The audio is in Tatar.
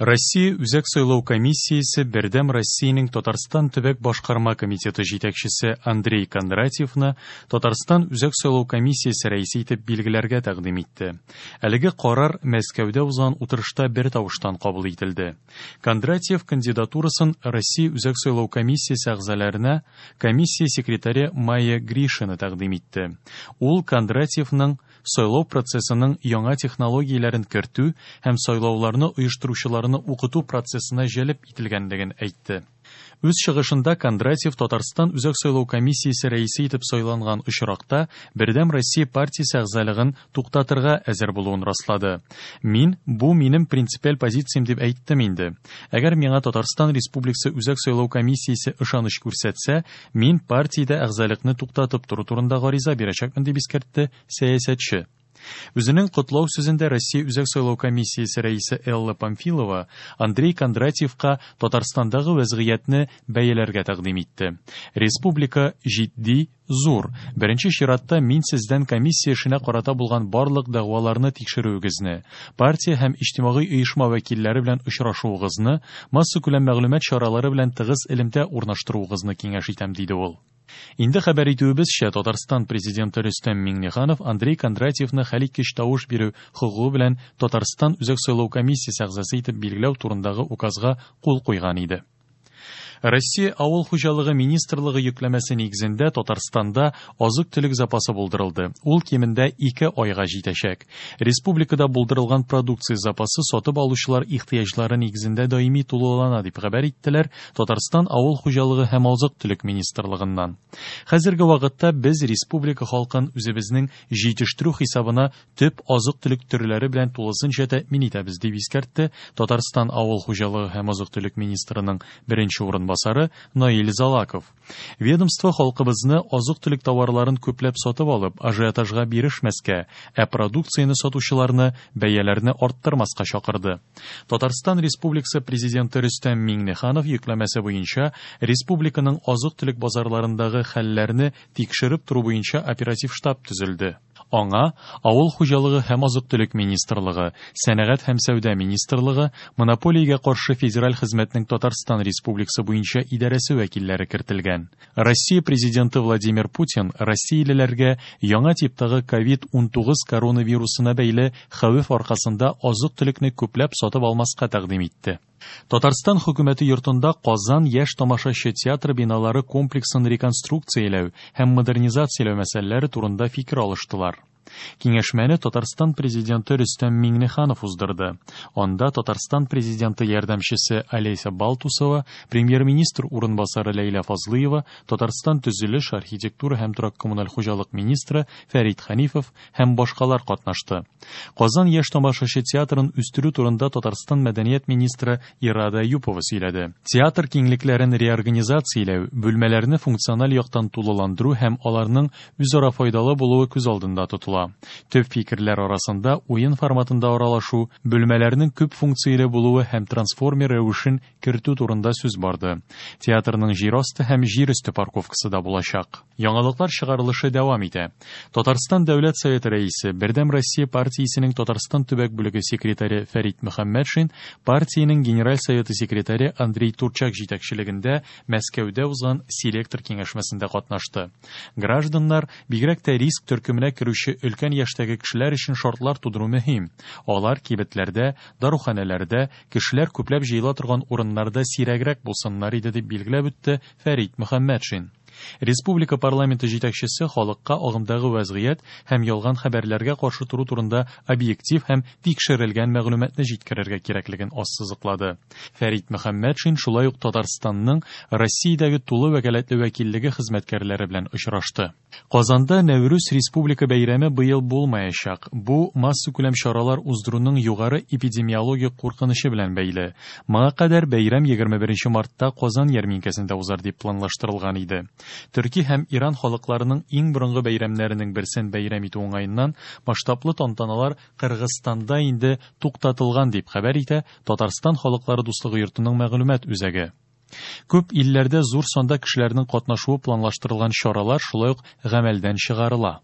Россия Үзәк сайлау комиссиясе Бердәм Россиянең Татарстан төбәк башкарма комитеты җитәкчесе Андрей Кондратьевны Татарстан Үзәк сайлау комиссиясе рәисе итеп билгеләргә тәкъдим итте. Әлеге карар Мәскәүдә узган утырышта бертавыштан кабул ителде. Кондратьев кандидатурасын Россия Үзәк сайлау комиссиясе әгъзаларына комиссия секретаре Майя Гришина тәкъдим итте. Ул Кондратьевның сайлау процессының яңа технологияләрен кертү һәм сайлауларны оештыручыларны укыту процессына җәлеп ителгәнлеген әйтте. Үз чыгышында Кондратьев Татарстан Үзәк сайлау комиссиясе рәисе итеп сайланган очракта Бердәм Россия партиясе әгъзалыгын туктатырга әзер булуын раслады. Мин бу минем принципиаль позициям дип әйттем инде. Әгәр миңа Татарстан Республикасы Үзәк сайлау комиссиясе ышаныч күрсәтсә, мин партиядә әгъзалыкны туктатып тору турында гариза бирәчәкмен, дип искәртте сәясәтче. Үзенең котлау сүзендә Россия Үзәк сайлау комиссиясе рәисе Элла Памфилова Андрей Кондратьевка Татарстандагы вәзгыятьне бәяләргә тәкъдим итте. Республика җитди, зур. Беренче чиратта мин сездән комиссия эшенә карата булган барлык дәгъваларны тикшерүегезне, партия һәм иҗтимагый оешма вәкилләре белән очрашуыгызны, массакүләм мәгълүмат чаралары белән тыгыз элемтә урнаштыруыгызны киңәш итәм, диде ул. Инде хәбәр итүебезчә, Татарстан Президенты Рөстәм Миңнеханов Андрей Кондратьевны хәлиткеч тавыш бирү хокукы белән Татарстан Үзәк сайлау комиссиясе әгъзасы итеп билгеләү турындагы указга кул куйган иде. Россия Авыл хуҗалыгы министрлыгы йөкләмәсе нигезендә Татарстанда азык-төлек запасы булдырылды. Ул кимендә 2 айга җитәчәк. Республикада булдырылган продукция запасы сатып алучылар ихтыяҗлары нигезендә даими тулылана, дип хәбәр иттеләр Татарстан Авыл хуҗалыгы һәм азык-төлек министрлыгыннан. Хәзерге вакытта без республика халкын үзебезнең җитештерү хисабына төп азык-төлек төрләре белән тулысынча тәэмин итәбез, дип искәртте Татарстан Авыл хуҗалыгы һәм азык-төлек министрының беренче урынбасары Наил Залаков. Ведомство халкыбызны азык-төлек товарларын күпләп сатып алып, ажиотажга бирешмәскә, ә продукцияне сатучыларны бәяләрне арттырмаска чакырды. Татарстан Республикасы Президенты Рөстәм Миңнеханов йөкләмәсе буенча республиканың азык-төлек базарларындагы хәлләрне тикшереп тору буенча оператив штаб төзелде. Аңа Авыл хуҗалыгы һәм азык-төлек министрлыгы, Сәнәгать һәм сәүдә министрлыгы, Монополиягә каршы федераль хезмәтнең Татарстан Республикасы буенча идарәсе вәкилләре кертелгән. Россия Президенты Владимир Путин россиялеләргә яңа типтагы ковид-19 коронавирусына бәйле хәвеф аркасында азык-төлекне күпләп сатып алмаска тәкъдим итте. Татарстан хөкүмәте йортында Казан яшь тамашачы театры биналары комплексын реконструкцияләү һәм модернизацияләү мәсьәләләре турында фикер алыштылар. Киңәшмәне Татарстан Президенты Рөстәм Миңнеханов уздырды. Анда Татарстан Президенты ярдәмчесе Олеся Балтусова, премьер-министр урынбасары Ләйлә Фазлыева, Татарстан төзелеш, архитектура һәм торак-коммуналь хуҗалык министры Фәрит Хәнифов һәм башкалар катнашты. Казан яшь тамашачы театрын үстерү турында Татарстан мәдәният министры Ирада Әюпова сөйләде. Театр киңлекләрен реорганизацияләү, бүлмәләрне функциональ яктан тулыландыру һәм аларның үзара файдалы булуы күз алдында тотыла. Төп фикерләр арасында уен форматында аралашу, бүлмәләрнең күп функцияле булуы һәм трансформер рәвешен кертү турында сүз барды. Театрның җир асты һәм җир өсте парковкасы да булачак. Яңалыклар чыгарылышы дәвам итә. Татарстан Дәүләт Советы рәисе, Бердәм Россия партиясенең Татарстан төбәк бүлеге секретаре Фәрит Мөхәммәтшин, партиянең Генераль Советы секретаре Андрей Турчак җитәкчелегендә Мәскәүдә узган селектор киңәшмәсендә катнашты. Гражданнар, бигрәк тә риск төркеменә керүче өлкән яшьтәге кешеләр өчен шартлар тудыру мөһим. Алар кибетләрдә, даруханәләрдә, кешеләр күпләп җыела торган урыннарда сирәгрәк булсыннар иде, дип билгеләп үтте Фәрит Мөхәммәтшин. Республика парламенты җитәкчесе халыкка агымдагы вәзгыять һәм ялган хәбәрләргә каршы тору турында объектив һәм тикшерелгән мәгълүматны җиткерергә кирәклеген ассызыклады. Фәрит Мөхәммәтшин шулай ук Татарстанның Россиядәге тулы вәкаләтле вәкиллеге хезмәткәрләре белән очрашты. Казанда Нәүрүз республика бәйрәме быел булмаячак. Бу массакүләм чаралар уздыруның югары эпидемиологик куркынычы белән бәйле. Моңа кадәр бәйрәм 21 мартта Казан ярминкәсендә узар дип планлаштырылган иде. Төрки һәм Иран халыкларының иң борынгы бәйрәмнәренең берсен бәйрәм итү уңаеннан масштаблы тантаналар Кыргызстанда инде туктатылган, дип хәбәр итә Татарстан халыклары дуслыгы йортының мәгълүмат үзәге. Күп илләрдә зур санда кешеләрнең катнашуы планлаштырылган чаралар шулай ук гамәлдән чыгарыла.